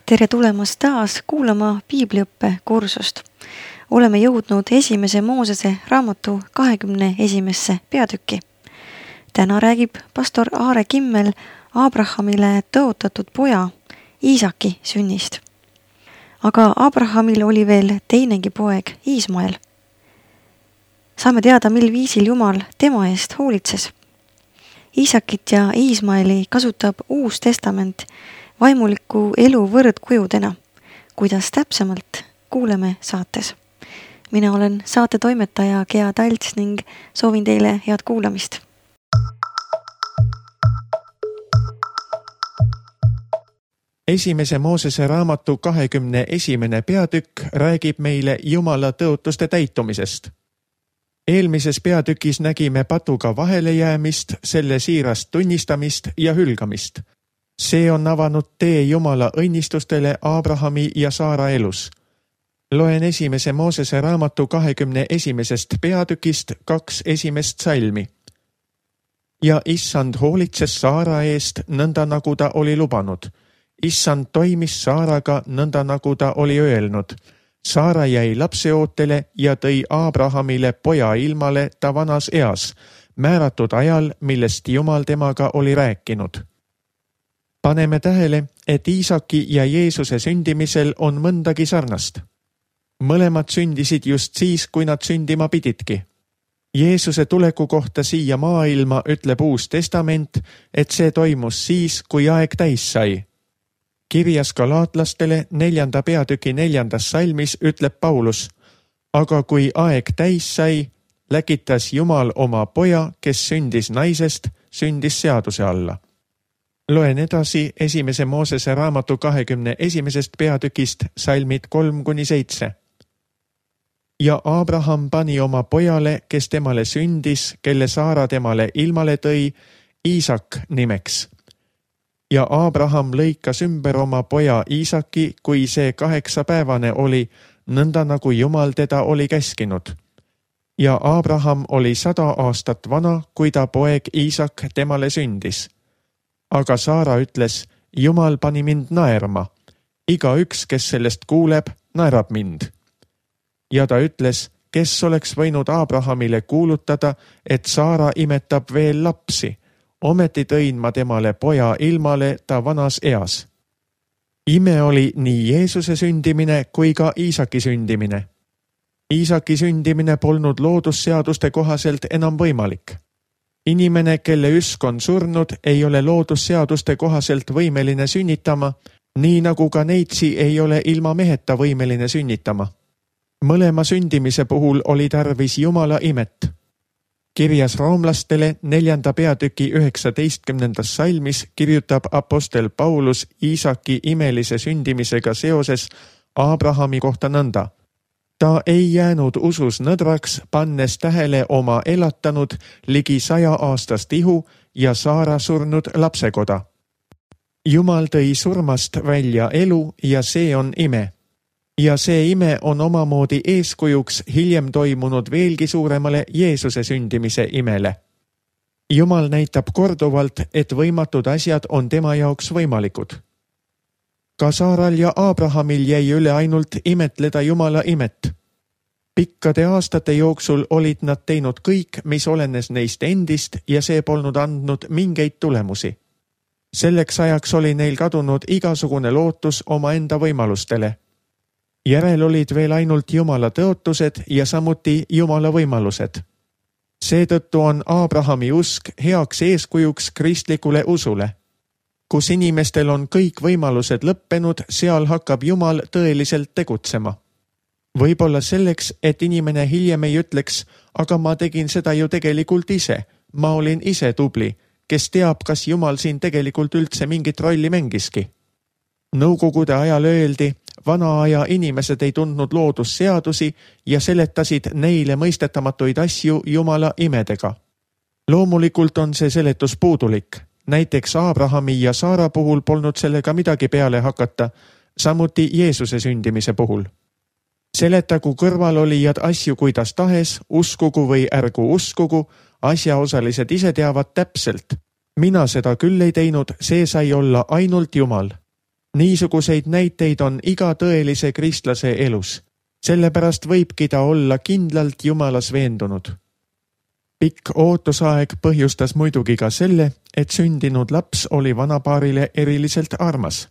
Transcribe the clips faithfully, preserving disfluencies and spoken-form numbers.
Tere tulemast taas kuulama piibliõppe kursust. Oleme jõudnud esimese Moosese raamatu kahekümne esimesse peatükki. Täna räägib pastor Aare Kimmel Abrahamile tõotatud poja Iisaki sünnist. Aga Abrahamil oli veel teinegi poeg Iismael. Saame teada, mil viisil Jumal tema eest hoolitses. Iisakit ja Iismaeli kasutab Uus Testament vaimuliku elu võrdkujudena, kuidas täpsemalt kuuleme saates. Mina olen saate toimetaja Gea Talts ning soovin teile head kuulamist. Esimese Moosese raamatu kahekümne esimene peatükk räägib meile Jumala tõotuste täitumisest. Eelmises peatükis nägime patuga vahelejäämist, selle siirast tunnistamist ja hülgamist. See on avanud tee Jumala õnnistustele Abrahami ja Saara elus. Loen esimese Moosese raamatu kahekümne esimesest peatükist kaks esimest salmi. Ja Issand hoolitses Saara eest nõnda nagu ta oli lubanud. Issand toimis Saaraga nõnda nagu ta oli öelnud. Saara jäi lapseootele ja tõi Abrahamile poja ilmale ta vanas eas, määratud ajal, millest Jumal temaga oli rääkinud. Paneme tähele, et Iisaki ja Jeesuse sündimisel on mõndagi sarnast. Mõlemad sündisid just siis, kui nad sündima pididki. Jeesuse tuleku kohta siia maailma ütleb Uus Testament, et see toimus siis, kui aeg täis sai. Kirjas galaatlastele neljanda peatüki neljandas salmis ütleb Paulus, aga kui aeg täis sai, läkitas Jumal oma poja, kes sündis naisest, sündis seaduse alla. Loen edasi esimese Moosese raamatu kahekümne esimesest peatükist salmid kolm kuni seitse. Ja Abraham pani oma pojale, kes temale sündis, kelle Saara temale ilmale tõi, Iisak nimeks. Ja Abraham lõikas ümber oma poja Iisaki, kui see kaheksapäevane oli, nõnda nagu Jumal teda oli käskinud. Ja Abraham oli sada aastat vana, kui ta poeg Iisak temale sündis. Aga Saara ütles, Jumal pani mind naerma. Iga üks, kes sellest kuuleb, naerab mind. Ja ta ütles, kes oleks võinud Abrahamile kuulutada, et Saara imetab veel lapsi. Ometi tõin ma temale poja ilmale ta vanas eas. Ime oli nii Jeesuse sündimine kui ka Iisaki sündimine. Iisaki sündimine polnud loodusseaduste kohaselt enam võimalik. Inimene, kelle üsk on surnud, ei ole loodusseaduste kohaselt võimeline sünnitama, nii nagu ka neitsi ei ole ilma meheta võimeline sünnitama. Mõlema sündimise puhul oli tarvis Jumala imet. Kirjas roomlastele neljanda peatüki üheksateistkümnendas salmis kirjutab apostel Paulus Iisaki imelise sündimisega seoses Abrahami kohta nõnda. Ta ei jäänud usus nõdraks, pannes tähele oma elatanud ligi saja aastast ihu ja Saara surnud lapsekoda. Jumal tõi surmast välja elu ja see on ime. Ja see ime on omamoodi eeskujuks hiljem toimunud veelgi suuremale Jeesuse sündimise imele. Jumal näitab korduvalt, et võimatud asjad on tema jaoks võimalikud. Ka Saaral ja Abrahamil jäi üle ainult imetleda Jumala imet. Pikkade aastate jooksul olid nad teinud kõik, mis olenes neist endist ja see polnud andnud mingeid tulemusi. Selleks ajaks oli neil kadunud igasugune lootus oma enda võimalustele. Järel olid veel ainult Jumala tõotused ja samuti Jumala võimalused. Seetõttu on Abrahami usk heaks eeskujuks kristlikule usule. Kus inimestel on kõik võimalused lõppenud, seal hakkab Jumal tõeliselt tegutsema. Võib-olla selleks, et inimene hiljem ei ütleks, aga ma tegin seda ju tegelikult ise, ma olin ise tubli, kes teab, kas Jumal siin tegelikult üldse mingit rolli mängiski. Nõukogude ajal öeldi, vana aja inimesed ei tundnud loodusseadusi ja seletasid neile mõistetamatuid asju Jumala imedega. Loomulikult on see seletus puudulik. Näiteks Abrahami ja Saara puhul polnud sellega midagi peale hakata, samuti Jeesuse sündimise puhul. Seletagu kõrvalolijad asju kuidas tahes, uskugu või ärgu uskugu, asjaosalised ise teavad täpselt. Mina seda küll ei teinud, see sai olla ainult Jumal. Niisuguseid näiteid on iga tõelise kristlase elus. Sellepärast võibki ta olla kindlalt Jumalas veendunud. Pikk ootusaeg põhjustas muidugi ka selle, et sündinud laps oli vanapaarile eriliselt armas.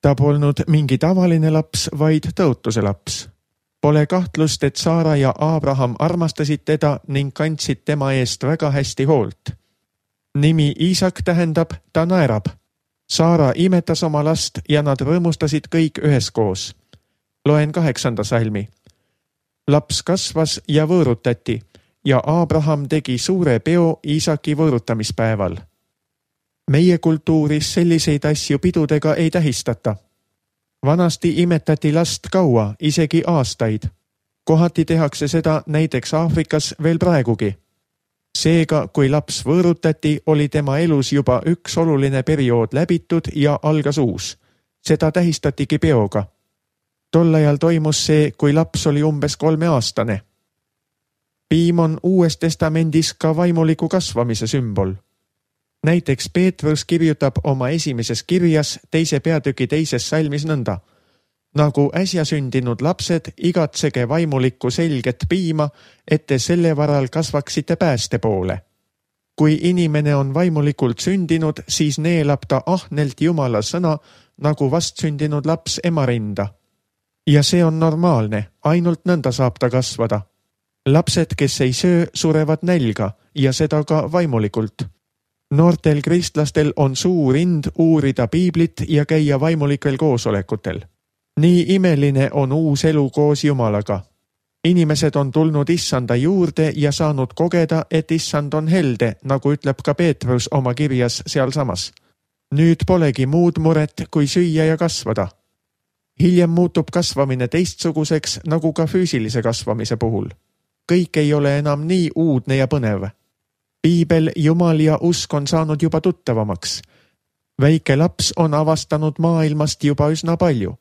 Ta polnud mingi tavaline laps, vaid tõotuse laps. Pole kahtlust, et Saara ja Abraham armastasid teda ning kandsid tema eest väga hästi hoolt. Nimi Iisak tähendab, ta naerab. Saara imetas oma last ja nad rõõmustasid kõik üheskoos. Loen kaheksanda salmi. Laps kasvas ja võõrutati ja Abraham tegi suure peo Iisaki võõrutamispäeval. Meie kultuuris selliseid asju pidudega ei tähistata. Vanasti imetati last kaua, isegi aastaid. Kohati tehakse seda näiteks Aafrikas veel praegugi. Seega, kui laps võõrutati, oli tema elus juba üks oluline periood läbitud ja algas uus. Seda tähistatigi peoga. Tol ajal toimus see, kui laps oli umbes kolmeaastane. Piim on Uues Testamendis ka vaimuliku kasvamise sümbol. Näiteks Peetrus kirjutab oma esimeses kirjas teise peatüki teises salmis nõnda. Nagu äsja sündinud lapsed, igatsege vaimulikku selget piima, et te selle varal kasvaksite pääste poole. Kui inimene on vaimulikult sündinud, siis neelab ta ahnelt Jumala sõna, nagu vastsündinud laps ema rinda. Ja see on normaalne, ainult nõnda saab ta kasvada. Lapsed, kes ei söö, surevad nälga ja seda ka vaimulikult. Noortel kristlastel on suur ind uurida piiblit ja käia vaimulikel koosolekutel. Nii imeline on uus elu koos Jumalaga. Inimesed on tulnud issanda juurde ja saanud kogeda, et issand on helde, nagu ütleb ka Peetrus oma kirjas sealsamas. Nüüd polegi muud muret, kui süüa ja kasvada. Hiljem muutub kasvamine teistsuguseks, nagu ka füüsilise kasvamise puhul. Kõik ei ole enam nii uudne ja põnev. Piibel, Jumal ja usk on saanud juba tuttavamaks. Väike laps on avastanud maailmast juba üsna palju.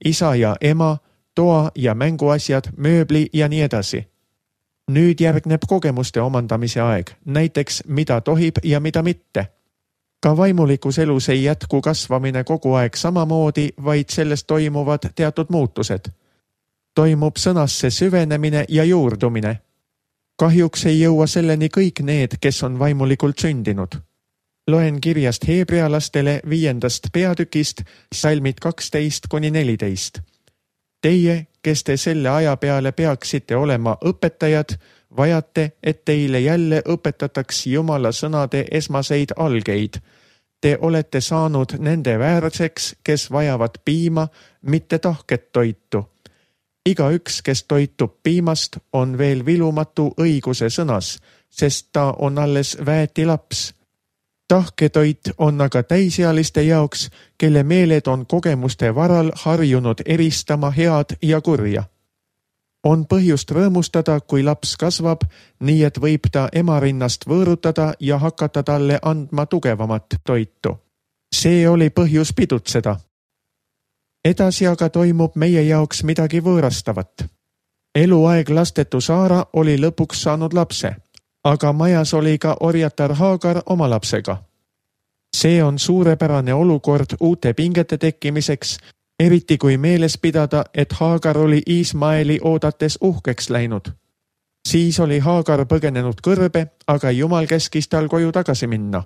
Isa ja ema, toa ja mänguasjad, mööbli ja nii edasi. Nüüd järgneb kogemuste omandamise aeg, näiteks mida tohib ja mida mitte. Ka vaimulikus elus ei jätku kasvamine kogu aeg samamoodi, vaid sellest toimuvad teatud muutused. Toimub sõnasse süvenemine ja juurdumine. Kahjuks ei jõua selleni kõik need, kes on vaimulikult sündinud. Loen kirjast heebrealastele viiendast peatükist, salmid kaksteist kuni neliteist. Teie, kes te selle aja peale peaksite olema õpetajad, vajate, et teile jälle õpetataks Jumala sõnade esmaseid algeid. Te olete saanud nende väärseks, kes vajavad piima, mitte tahket toitu. Iga üks, kes toitub piimast, on veel vilumatu õiguse sõnas, sest ta on alles väeti laps. Tahketoit on aga täisealiste jaoks, kelle meeled on kogemuste varal harjunud eristama head ja kurja. On põhjust rõõmustada, kui laps kasvab, nii et võib ta ema rinnast võõrutada ja hakata talle andma tugevamat toitu. See oli põhjus pidutseda. Edasi aga toimub meie jaoks midagi võõrastavat. Eluaeg lastetu Saara oli lõpuks saanud lapse, aga majas oli ka orjatar Haagar oma lapsega. See on suurepärane olukord uute pingete tekkimiseks, eriti kui meeles pidada, et Haagar oli Iismaeli oodates uhkeks läinud. Siis oli Haagar põgenenud kõrbe, aga Jumal käskis tal koju tagasi minna.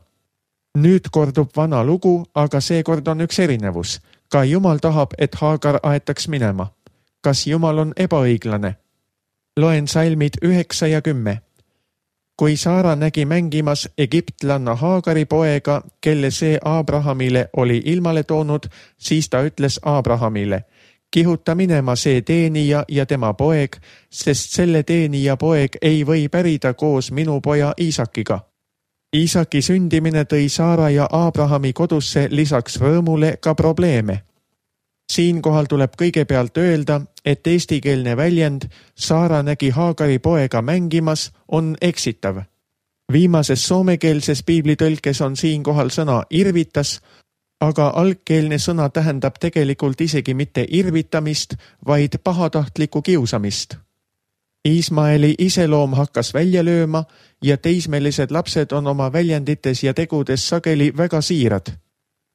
Nüüd kordub vana lugu, aga seekord on üks erinevus. Ka Jumal tahab, et Haagar aetaks minema. Kas Jumal on ebaõiglane? Loen salmid üheksa ja kümme. Kui Saara nägi mängimas egiptlanna Haagari poega, kelle see Abrahamile oli ilmale toonud, siis ta ütles Abrahamile, kihuta minema see teenija ja tema poeg, sest selle teenija poeg ei või pärida koos minu poja Iisakiga. Iisaki sündimine tõi Saara ja Abrahami kodusse lisaks rõõmule ka probleeme. Siinkohal tuleb kõigepealt öelda, et eestikeelne väljend Saara nägi Haagari poega mängimas on eksitav. Viimases soomekeelses piiblitõlkes on siinkohal sõna irvitas, aga algkeelne sõna tähendab tegelikult isegi mitte irvitamist, vaid pahatahtlikku kiusamist. Iismaeli iseloom hakkas välja lööma ja teismelised lapsed on oma väljendites ja tegudes sageli väga siirad.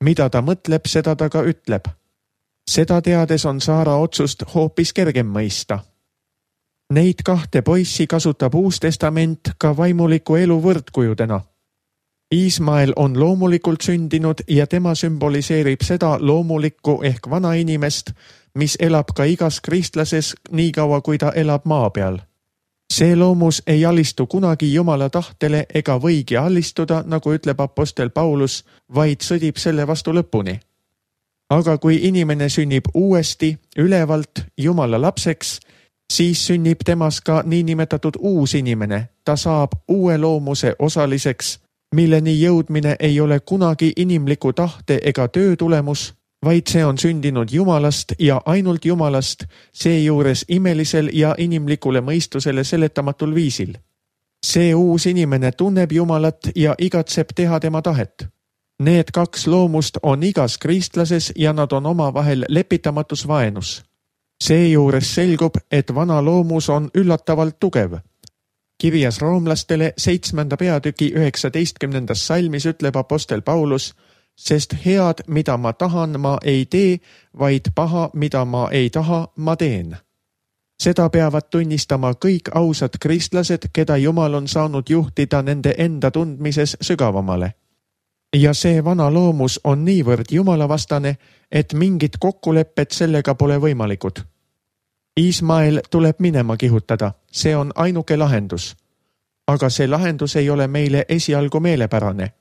Mida ta mõtleb, seda ta ka ütleb. Seda teades on Saara otsust hoopis kergem mõista. Neid kahte poissi kasutab Uus Testament ka vaimuliku elu võrdkujudena. Iismael on loomulikult sündinud ja tema sümboliseerib seda loomulikku ehk vana inimest, mis elab ka igas kristlases nii kaua, kui ta elab maa peal. See loomus ei alistu kunagi Jumala tahtele ega võigi alistuda, nagu ütleb apostel Paulus, vaid sõdib selle vastu lõpuni. Aga kui inimene sünnib uuesti, ülevalt Jumala lapseks, siis sünnib temas ka niinimetatud uus inimene. Ta saab uue loomuse osaliseks, milleni jõudmine ei ole kunagi inimliku tahte ega töö tulemus, vaid see on sündinud Jumalast ja ainult Jumalast, seejuures imelisel ja inimlikule mõistusele seletamatul viisil. See uus inimene tunneb Jumalat ja igatseb teha tema tahet. Need kaks loomust on igas kristlases ja nad on omavahel lepitamatus vaenus. Seejuures selgub, et vana loomus on üllatavalt tugev. Kirjas roomlastele seitsmenda peatüki üheksateistkümnendas salmis ütleb apostel Paulus, sest head, mida ma tahan, ma ei tee, vaid paha, mida ma ei taha, ma teen. Seda peavad tunnistama kõik ausad kristlased, keda Jumal on saanud juhtida nende enda tundmises sügavamale. Ja see vana loomus on niivõrd jumalavastane, et mingit kokkulepped sellega pole võimalikud. Iismael tuleb minema kihutada, see on ainuke lahendus. Aga see lahendus ei ole meile esialgu meelepärane.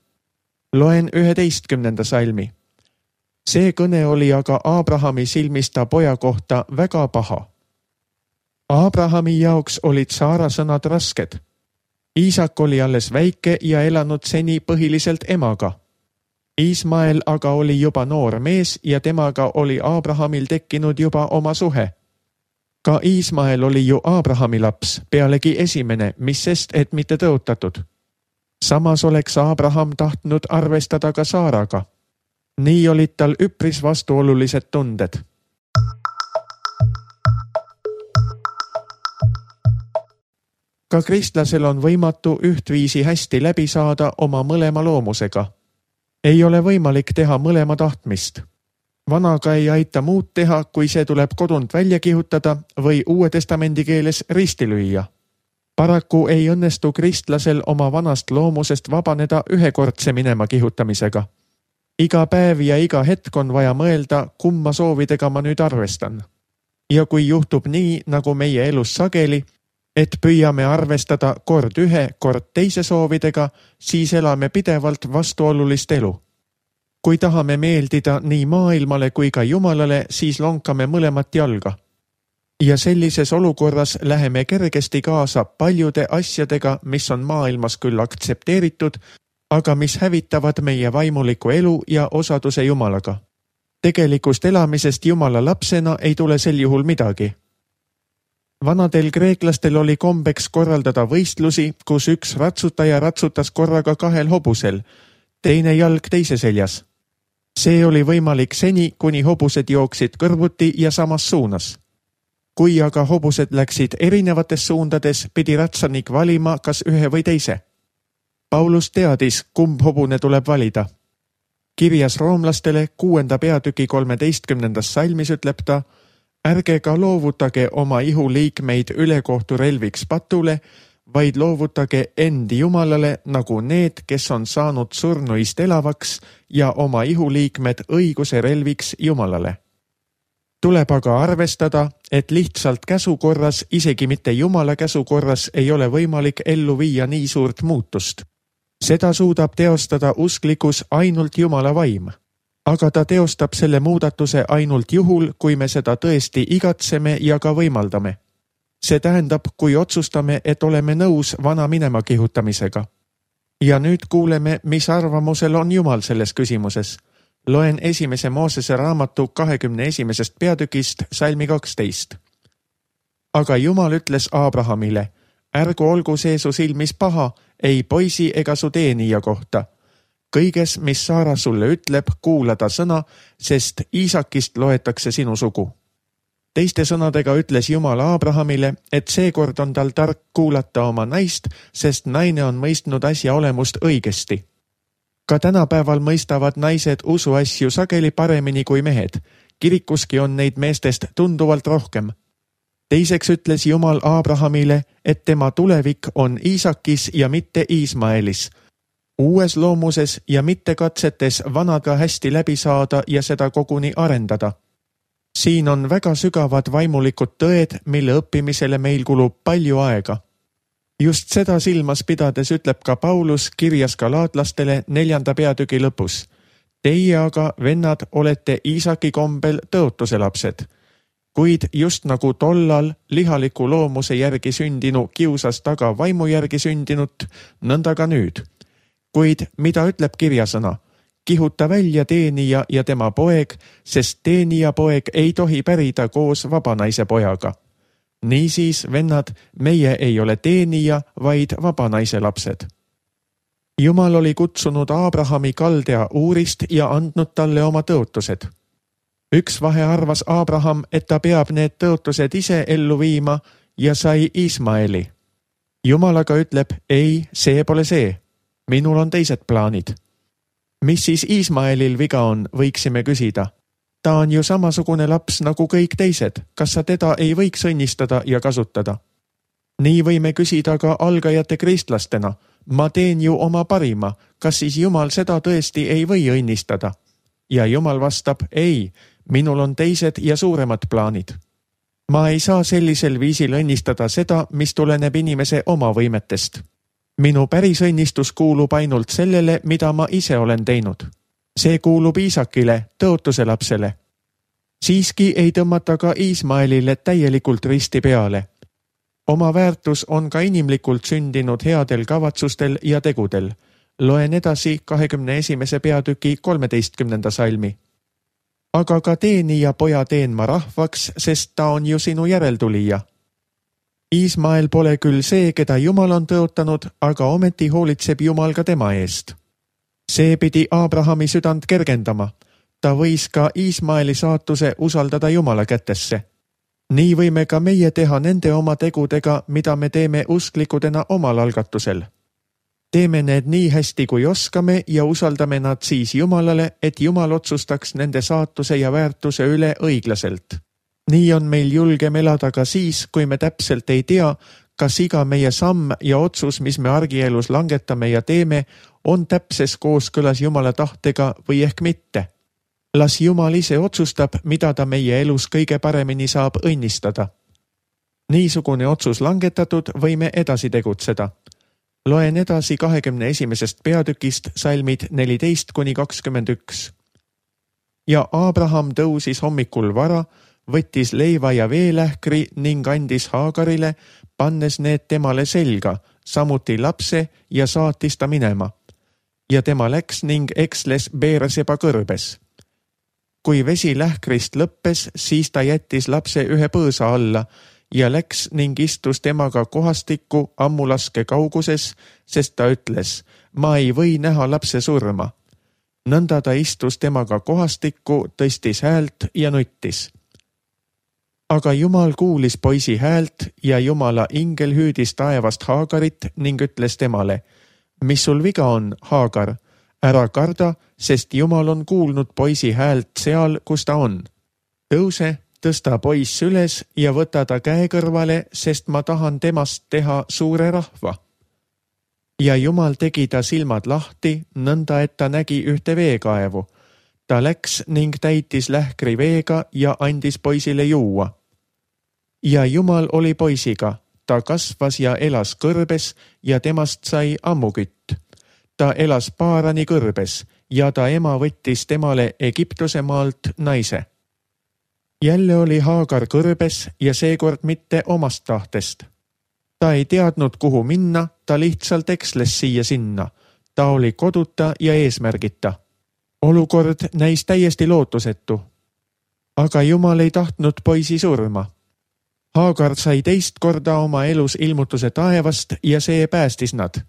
Loen üheteistkümnenda salmi. See kõne oli aga Aabrahami silmis ta poja kohta väga paha. Aabrahami jaoks olid Saara sõnad rasked. Iisak oli alles väike ja elanud seni põhiliselt emaga. Iismael aga oli juba noor mees ja temaga oli Aabrahamil tekkinud juba oma suhe. Ka Iismael oli ju Aabrahami laps, pealegi esimene, mis sest, et mitte tõotatud. Samas oleks Aabraham tahtnud arvestada ka Saaraga. Nii olid tal üpris vastuolulised tunded. Ka kristlasel on võimatu ühtviisi hästi läbi saada oma mõlema loomusega. Ei ole võimalik teha mõlema tahtmist. Vanaga ei aita muud teha, kui see tuleb kodunt välja kihutada või Uue Testamendi keeles risti lüüa. Paraku ei õnnestu kristlasel oma vanast loomusest vabaneda ühekordse minema kihutamisega. Iga päev ja iga hetk on vaja mõelda, kumma soovidega ma nüüd arvestan. Ja kui juhtub nii, nagu meie elus sageli, et püüame arvestada kord ühe, kord teise soovidega, siis elame pidevalt vastuolulist elu. Kui tahame meeldida nii maailmale kui ka Jumalale, siis lonkame mõlemat jalga. Ja sellises olukorras läheme kergesti kaasa paljude asjadega, mis on maailmas küll aktsepteeritud, aga mis hävitavad meie vaimuliku elu ja osaduse Jumalaga. Tegelikust elamisest Jumala lapsena ei tule sel juhul midagi. Vanadel kreeklastel oli kombeks korraldada võistlusi, kus üks ratsutaja ratsutas korraga kahel hobusel, teine jalg teise seljas. See oli võimalik seni, kuni hobused jooksid kõrvuti ja samas suunas. Kui aga hobused läksid erinevates suundades, pidi ratsanik valima kas ühe või teise. Paulus teadis, kumb hobune tuleb valida. Kirjas roomlastele kuuenda peatüki kolmeteistkümnendas salmis ütleb ta, ärge ka loovutage oma ihuliikmeid ülekohtu relviks patule, vaid loovutage endi Jumalale nagu need, kes on saanud surnuist elavaks ja oma ihuliikmed õiguse relviks Jumalale. Tuleb aga arvestada, et lihtsalt käsukorras, isegi mitte Jumala käsukorras, ei ole võimalik ellu viia nii suurt muutust. Seda suudab teostada usklikus ainult Jumala vaim. Aga ta teostab selle muudatuse ainult juhul, kui me seda tõesti igatseme ja ka võimaldame. See tähendab, kui otsustame, et oleme nõus vana minema kihutamisega. Ja nüüd kuuleme, mis arvamusel on Jumal selles küsimuses. Loen esimese Moosese raamatu kahekümne esimesest peatükist salmi kaksteist. Aga Jumal ütles Aabrahamile, ärgu olgu see su silmis paha, ei poisi ega su teenija kohta. Kõiges, mis Saara sulle ütleb, kuula ta sõna, sest Iisakist loetakse sinu sugu. Teiste sõnadega ütles Jumal Aabrahamile, et seekord on tal tark kuulata oma naist, sest naine on mõistnud asja olemust õigesti. Ka tänapäeval mõistavad naised usuasju sageli paremini kui mehed kirikuski on neid meestest tunduvalt rohkem. Teiseks ütles Jumal Abrahamile, et tema tulevik on Iisakis ja mitte Iismaelis, uues loomuses ja mitte katsetes vanaga hästi läbi saada ja seda koguni arendada. Siin on väga sügavad vaimulikud tõed, mille õppimisele meil kulub palju aega. Just seda silmas pidades ütleb ka Paulus kirjas galaatlastele neljanda peatüki lõpus. Teie aga, vennad, olete Iisaki kombel tõotuse lapsed. Kuid just nagu tollal lihaliku loomuse järgi sündinu kiusas taga vaimu järgi sündinut, nõnda ka nüüd. Kuid mida ütleb kirjasõna? Kihuta välja teenija ja tema poeg, sest teenija poeg ei tohi pärida koos vabanaise pojaga. Niisiis, vennad, meie ei ole teenija, vaid vabanaise lapsed. Jumal oli kutsunud Abrahami Kaldea Uurist ja andnud talle oma tõotused. Üks vahe arvas Abraham, et ta peab need tõotused ise ellu viima ja sai Ismaeli. Jumal aga ütleb, ei, see pole see. Minul on teised plaanid. Mis siis Ismaelil viga on, võiksime küsida. Ta on ju samasugune laps nagu kõik teised. Kas sa teda ei võiks õnnistada ja kasutada? Nii võime küsida ka algajate kristlastena. Ma teen ju oma parima. Kas siis Jumal seda tõesti ei või õnnistada? Ja Jumal vastab, ei, minul on teised ja suuremad plaanid. Ma ei saa sellisel viisil õnnistada seda, mis tuleneb inimese oma võimetest. Minu päris õnnistus kuulub ainult sellele, mida ma ise olen teinud. See kuulub Iisakile, tõotuse lapsele. Siiski ei tõmmata ka Ismaelile täielikult risti peale. Oma väärtus on ka inimlikult sündinud headel kavatsustel ja tegudel. Loen edasi kahekümne esimese peatüki kolmeteistkümnenda salmi. Aga ka teenija poja teen ma rahvaks, sest ta on ju sinu järeltulija. Ismael pole küll see, keda Jumal on tõotanud, aga ometi hoolitseb Jumal ka tema eest. See pidi Abrahami südant kergendama. Ta võis ka Ismaeli saatuse usaldada Jumala kätesse. Nii võime ka meie teha nende oma tegudega, mida me teeme usklikudena omal algatusel. Teeme need nii hästi, kui oskame ja usaldame nad siis Jumalale, et Jumal otsustaks nende saatuse ja väärtuse üle õiglaselt. Nii on meil julgem elada ka siis, kui me täpselt ei tea, kas iga meie samm ja otsus, mis me argielus langetame ja teeme, on täpses kooskõlas Jumala tahtega või ehk mitte. Las Jumal ise otsustab, mida ta meie elus kõige paremini saab õnnistada. Niisugune otsus langetatud võime edasi tegutseda. Loen edasi kahekümne esimesest peatükist salmid neliteist kuni kakskümmend üks. Ja Abraham tõusis hommikul vara, võttis leiva ja veelähkri ning andis Haagarile, pannes need temale selga, samuti lapse ja saatis ta minema. Ja tema läks ning eksles Beerseba kõrbes. Kui vesi lähkrist lõppes, siis ta jättis lapse ühe põõsa alla ja läks ning istus temaga kohastikku ammulaske kauguses, sest ta ütles, ma ei või näha lapse surma. Nõnda ta istus temaga kohastikku, tõstis häält ja nuttis. Aga Jumal kuulis poisi häält ja Jumala ingel hüüdis taevast Haagarit ning ütles temale, mis sul viga on, Haagar? Ära karda, sest Jumal on kuulnud poisi häält seal, kus ta on. Tõuse, tõsta poiss üles ja võta ta käe kõrvale, sest ma tahan temast teha suure rahva. Ja Jumal tegi ta silmad lahti, nõnda et ta nägi ühte veekaevu. Ta läks ning täitis lähkri veega ja andis poisile juua. Ja Jumal oli poisiga, ta kasvas ja elas kõrbes ja temast sai ammukütt. Ta elas Paarani kõrbes ja ta ema võttis temale Egiptuse maalt naise. Jälle oli Haagar kõrbes ja seekord mitte omast tahtest. Ta ei teadnud, kuhu minna, ta lihtsalt eksles siia sinna. Ta oli koduta ja eesmärgita. Olukord näis täiesti lootusetu. Aga Jumal ei tahtnud poisi surma. Haagar sai teist korda oma elus ilmutuse taevast ja see päästis nad.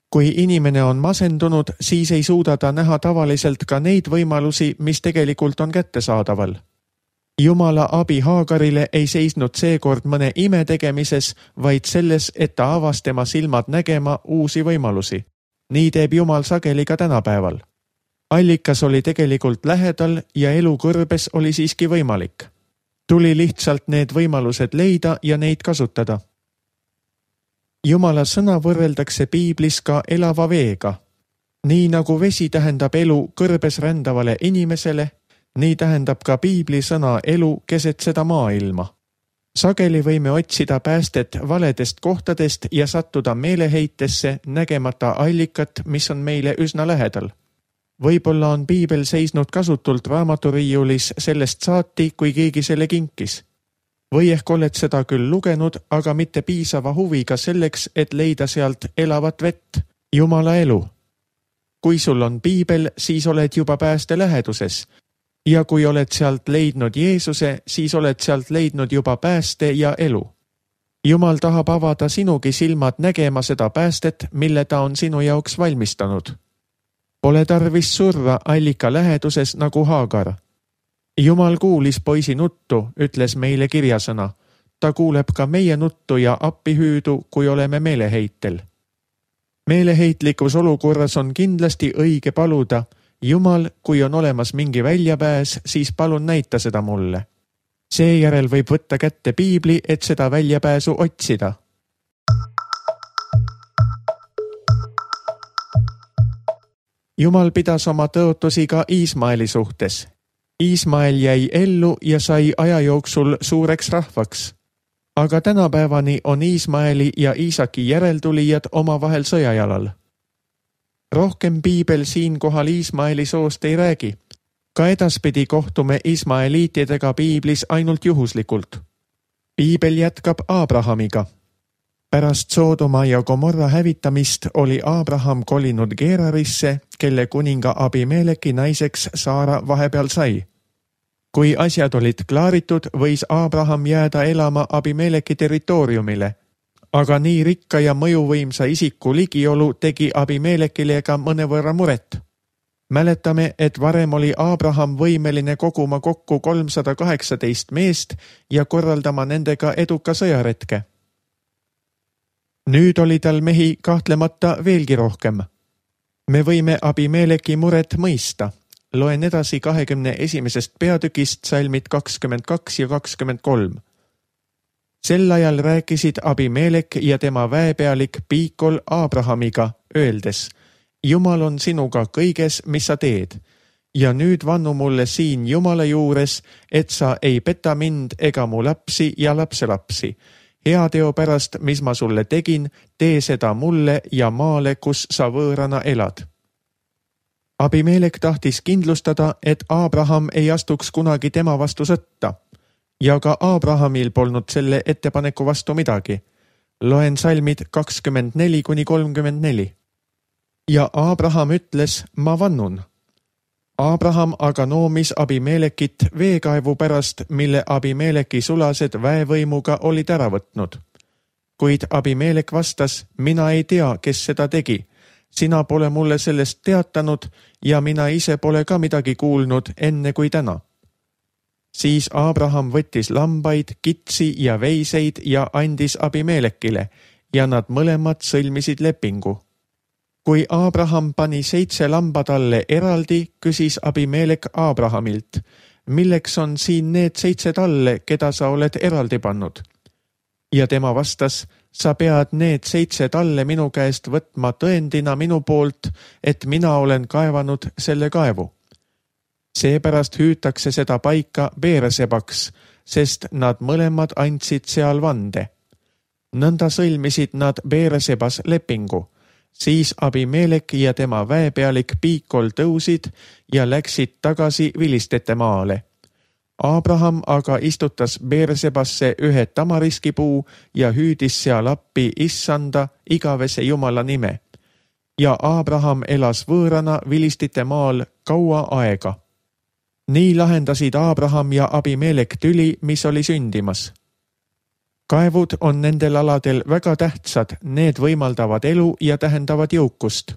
Kui inimene on masendunud, siis ei suuda ta näha tavaliselt ka neid võimalusi, mis tegelikult on kättesaadaval. Jumala abi Haagarile ei seisnud seekord mõne ime tegemises, vaid selles, et ta avas tema silmad nägema uusi võimalusi. Nii teeb Jumal sageli ka tänapäeval. allikas oli tegelikult lähedal ja elu kõrbes oli siiski võimalik. Tuli lihtsalt need võimalused leida ja neid kasutada. Jumala sõna võrreldakse piiblis ka elava veega. Nii nagu vesi tähendab elu kõrbes rändavale inimesele, nii tähendab ka piibli sõna elu keset seda maailma. Sageli võime otsida päästet valedest kohtadest ja sattuda meeleheitesse nägemata allikat, mis on meile üsna lähedal. Võib-olla on piibel seisnud kasutult raamaturiiulis sellest saati, kui keegi selle kinkis. Või ehk oled seda küll lugenud, aga mitte piisava huviga selleks, et leida sealt elavat vett, Jumala elu. Kui sul on piibel, siis oled juba pääste läheduses. Ja kui oled sealt leidnud Jeesuse, siis oled sealt leidnud juba pääste ja elu. Jumal tahab avada sinugi silmad nägema seda päästet, mille ta on sinu jaoks valmistanud. Pole tarvis surra allika läheduses nagu Haagar. Jumal kuulis poisi nuttu, ütles meile kirjasõna. Ta kuuleb ka meie nuttu ja appihüüdu, kui oleme meeleheitel. Meeleheitlikus olukorras on kindlasti õige paluda, Jumal, kui on olemas mingi väljapääs, siis palun näita seda mulle. Seejärel võib võtta kätte piibli, et seda väljapääsu otsida. Jumal pidas oma tõotusi ka Iismaeli suhtes. Iismael jäi ellu ja sai aja jooksul suureks rahvaks. Aga tänapäevani on Iismaeli ja Iisaki järeltulijad omavahel sõjajalal. Rohkem piibel siinkohal Iismaeli soost ei räägi. Ka edaspidi kohtume Ismaeliitidega piiblis ainult juhuslikult. Piibel jätkab Aabrahamiga. Pärast Soodoma ja Gomorra hävitamist oli Aabraham kolinud Gerarisse, kelle kuninga Abimeleki naiseks Saara vahepeal sai. Kui asjad olid klaaritud, võis Aabraham jääda elama Abimeleki territooriumile. Aga nii rikka ja mõjuvõimsa isiku ligiolu tegi Abimelekile ka mõnevõrra muret. Mäletame, et varem oli Aabraham võimeline koguma kokku kolmsada kaheksateist meest ja korraldama nendega eduka sõjaretke. Nüüd oli tal mehi kahtlemata veelgi rohkem. Me võime Abimeleki muret mõista. Loen edasi kahekümne esimesest peatükist salmid kakskümmend kaks ja kakskümmend kolm. Sel ajal rääkisid Abimelek ja tema väepealik Piikol Aabrahamiga, öeldes, Jumal on sinuga kõiges, mis sa teed. Ja nüüd vannu mulle siin Jumala juures, et sa ei peta mind ega mu lapsi ja lapselapsi. Hea teo pärast, mis ma sulle tegin, tee seda mulle ja maale, kus sa võõrana elad. Abimelek tahtis kindlustada, et Aabraham ei astuks kunagi tema vastu sõtta. Ja ka Aabrahamil polnud selle ettepaneku vastu midagi. Loen salmid kakskümmend neli kuni kolmkümmend neli. Ja Aabraham ütles, ma vannun. Aabraham aga noomis Abimelekit veekaevu pärast, mille Abimeleki sulased väevõimuga olid ära võtnud. Kuid Abimelek vastas, mina ei tea, kes seda tegi. Sina pole mulle sellest teatanud ja mina ise pole ka midagi kuulnud enne kui täna. Siis Aabraham võttis lambaid, kitsi ja veiseid ja andis Abimelekile ja nad mõlemad sõlmisid lepingu. Kui Aabraham pani seitse lamba talle eraldi, küsis Abimelek Aabrahamilt, milleks on siin need seitse talle, keda sa oled eraldi pannud? Ja tema vastas, sa pead need seitse talle minu käest võtma tõendina minu poolt, et mina olen kaevanud selle kaevu. Seepärast hüütakse seda paika Beersebaks, sest nad mõlemad andsid seal vande. Nõnda sõlmisid nad Beersebas lepingu. Siis Abimelek ja tema väepealik Piikol tõusid ja läksid tagasi vilistete maale. Aabraham aga istutas Beersebasse ühe tamariskipuu ja hüüdis seal appi issanda igavese Jumala nime. Ja Aabraham elas võõrana vilistite maal kaua aega. Nii lahendasid Aabraham ja Abimelek tüli, mis oli sündimas. Kaevud on nendel aladel väga tähtsad, need võimaldavad elu ja tähendavad jõukust.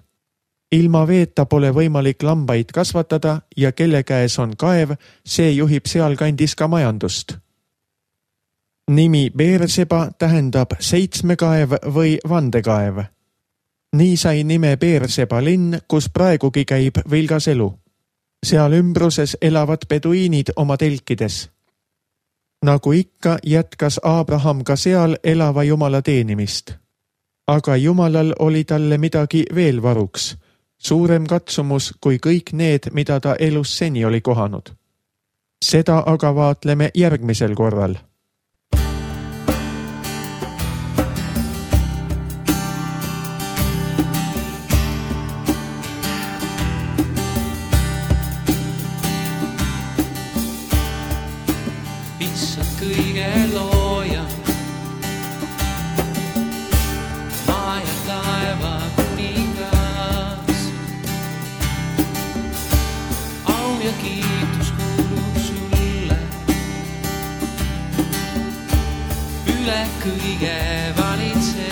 Ilma veeta pole võimalik lambaid kasvatada ja kelle käes on kaev, see juhib sealkandis ka majandust. Nimi Beerseba tähendab seitsmekaev või vandekaev. nii sai nime Beerseba linn, kus praegugi käib vilgas elu. Seal ümbruses elavad peduiinid oma telkides. Nagu ikka jätkas Abraham ka seal elava Jumala teenimist. Aga Jumalal oli talle midagi veel varuks, suurem katsumus kui kõik need, mida ta elus seni oli kohanud. Seda aga vaatleme järgmisel korral. Issand kõige looja, maa ja taeva kuningas. Au ja kiitus kuulub sulle, üle kõige valitsed.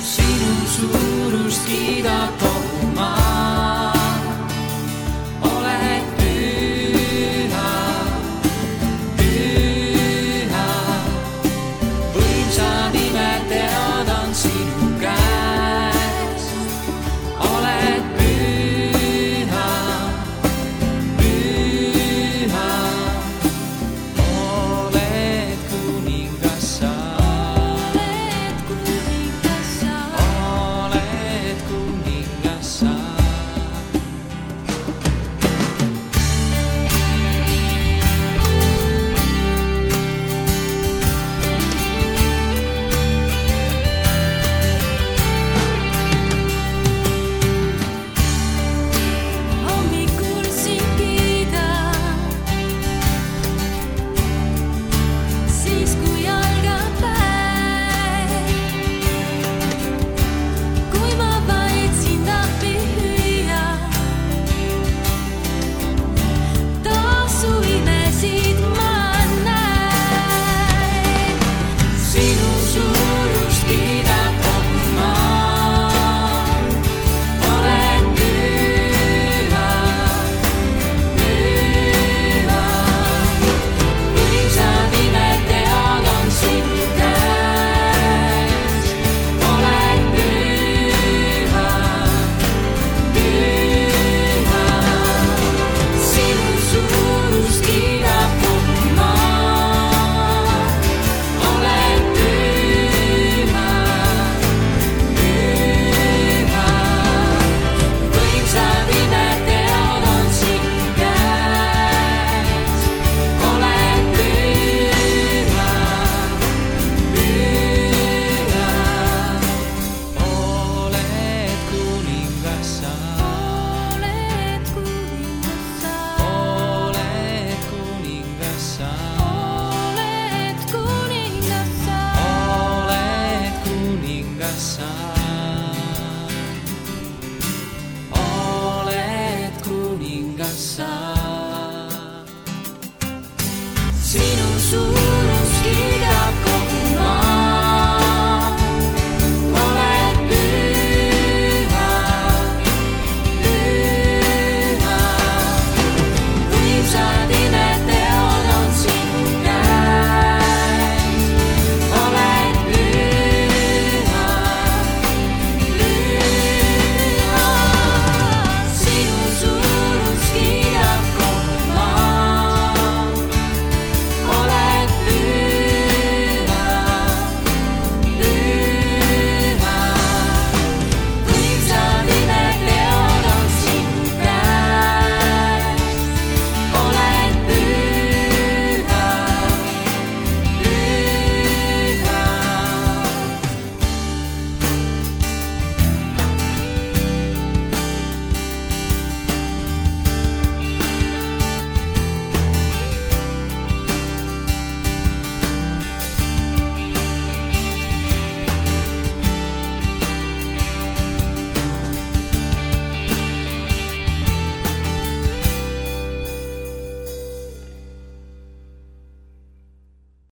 Sinu suurust kiidab kogu maa, oled püha, püha. Võimsa nime teod on sinu käes, oled püha, püha. Oled kuningas sa, oled kuningas sa, oled kuningas sa. Hommikul sind kiidan, siis kui algab päev. Kui ma vaid sind appi hüüan, taas su imesid ma näen. Sinu suurust kiidab kogu maa, oled püha, püha. Võimsa nime teod on sinu käes, oled püha, püha. Sinu suurust kiidab kogu maa, oled püha, püha. Võimsa nime teod on sinu käes, oled püha, püha. Oled kuningas sa, oled kuningas sa, oled kuningas sa, oled kuningas sa, oled kuningas sa, oled kuningas sa. Sinu suur